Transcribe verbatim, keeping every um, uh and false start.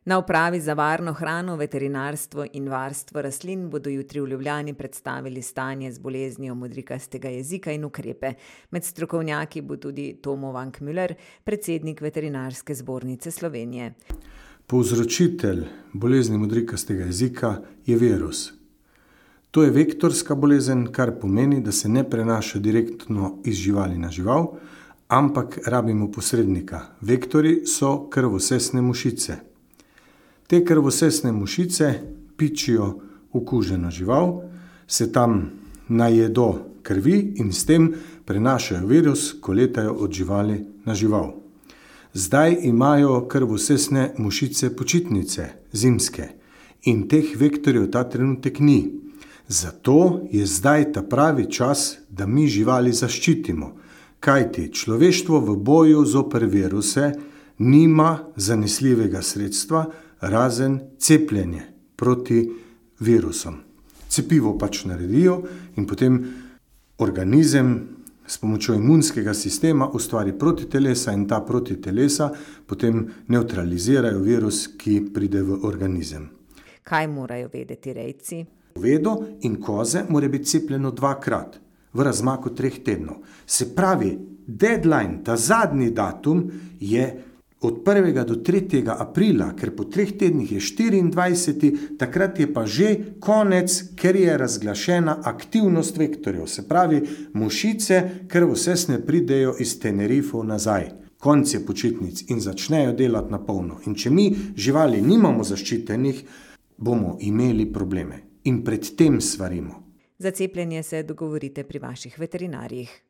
Na upravi za varno hrano, veterinarstvo in varstvo rastlin bodo jutri v Ljubljani predstavili stanje z boleznijo modrikastega jezika in ukrepe. Med strokovnjaki bo tudi Tomo Vankmüller, predsednik Veterinarske zbornice Slovenije. Povzročitelj bolezni modrikastega jezika je virus. To je vektorska bolezen, kar pomeni, da se ne prenaša direktno iz živali na žival, ampak rabimo posrednika. Vektori so krvosesne mušice. Te krvosesne mušice pičijo okuženo žival, se tam najedo krvi in s tem prenašajo virus, ko letajo od živali na žival. Zdaj imajo krvosesne mušice počitnice, zimske, in teh vektorjev ta trenutek ni. Zato je zdaj ta pravi čas, da mi živali zaščitimo, kajti človeštvo v boju zoper viruse nima zanesljivega sredstva, razen cepljenje proti virusom. Cepivo pač naredijo in potem organizem s pomočjo imunskega sistema ustvari protitelesa in ta protitelesa potem nevtralizirajo virus, ki pride v organizem. Kaj morajo vedeti rejci? Govedo in koze mora biti cepljeno dvakrat v razmaku treh tednov. Se pravi, deadline, ta zadnji datum je od prvega do tretjega aprila, ker po treh tednih je štiriindvajseti, takrat je pa že konec, ker je razglašena aktivnost vektorjev. Se pravi, mušice krvosesne pridejo iz Tenerifov nazaj. Konec je počitnic in začnejo delati na polno. In če mi živali nimamo zaščitenih, bomo imeli probleme. In pred tem svarimo. Za cepljenje se dogovorite pri vaših veterinarjih.